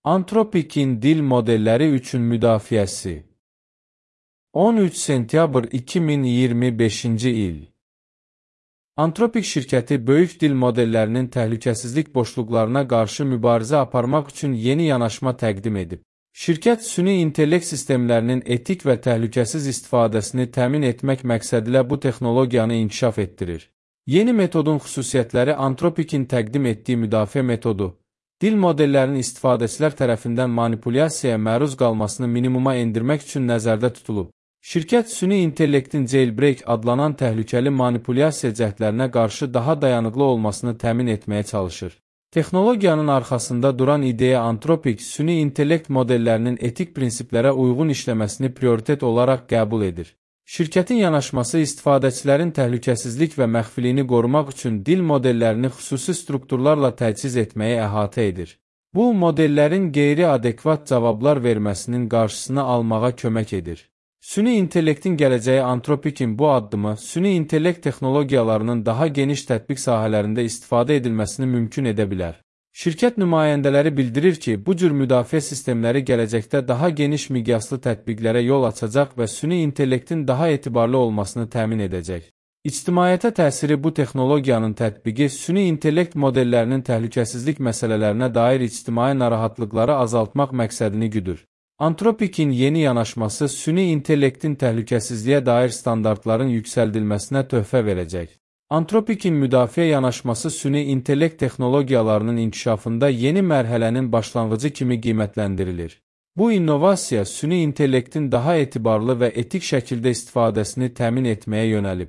Anthropic'in dil modelləri üçün müdafiəsi. 13 sentyabr 2025-ci il. Anthropic şirkəti böyük dil modellərinin təhlükəsizlik boşluqlarına qarşı mübarizə aparmaq üçün yeni yanaşma təqdim edib. Şirkət süni intellekt sistemlərinin etik və təhlükəsiz istifadəsini təmin etmək məqsədilə bu texnologiyanı inkişaf etdirir. Yeni metodun xüsusiyyətləri Anthropic'in təqdim etdiyi müdafiə metodu, dil modellərinin istifadəçilər tərəfindən manipulyasiyaya məruz qalmasını minimuma endirmək üçün nəzərdə tutulub. Şirkət süni intellektin jailbreak adlanan təhlükəli manipulyasiya cəhdlərinə qarşı daha dayanıqlı olmasını təmin etməyə çalışır. Texnologiyanın arxasında duran ideya Anthropic süni intellekt modellərinin etik prinsiplərə uyğun işləməsini prioritet olaraq qəbul edir. Şirkətin yanaşması istifadəçilərin təhlükəsizlik və məxfiliyini qorumaq üçün dil modellərini xüsusi strukturlarla təchiz etməyi əhatə edir. Bu, modellərin qeyri-adekvat cavablar verməsinin qarşısını almağa kömək edir. Süni intellektin gələcəyi Anthropic'in bu addımı, süni intellekt texnologiyalarının daha geniş tətbiq sahələrində istifadə edilməsini mümkün edə bilər. Şirkət nümayəndələri bildirir ki, bu cür müdafiə sistemləri gələcəkdə daha geniş miqyaslı tətbiqlərə yol açacaq və süni intellektin daha etibarlı olmasını təmin edəcək. İctimaiyyətə təsiri bu texnologiyanın tətbiqi süni intellekt modellərinin təhlükəsizlik məsələlərinə dair ictimai narahatlıqları azaltmaq məqsədini güdür. Anthropic'in yeni yanaşması süni intellektin təhlükəsizliyə dair standartların yüksəldilməsinə töhfə verəcək. Anthropic'in müdafiə yanaşması süni intellekt texnologiyalarının inkişafında yeni mərhələnin başlanğıcı kimi qiymətləndirilir. Bu innovasiya süni intellektin daha etibarlı və etik şəkildə istifadəsini təmin etməyə yönəlib.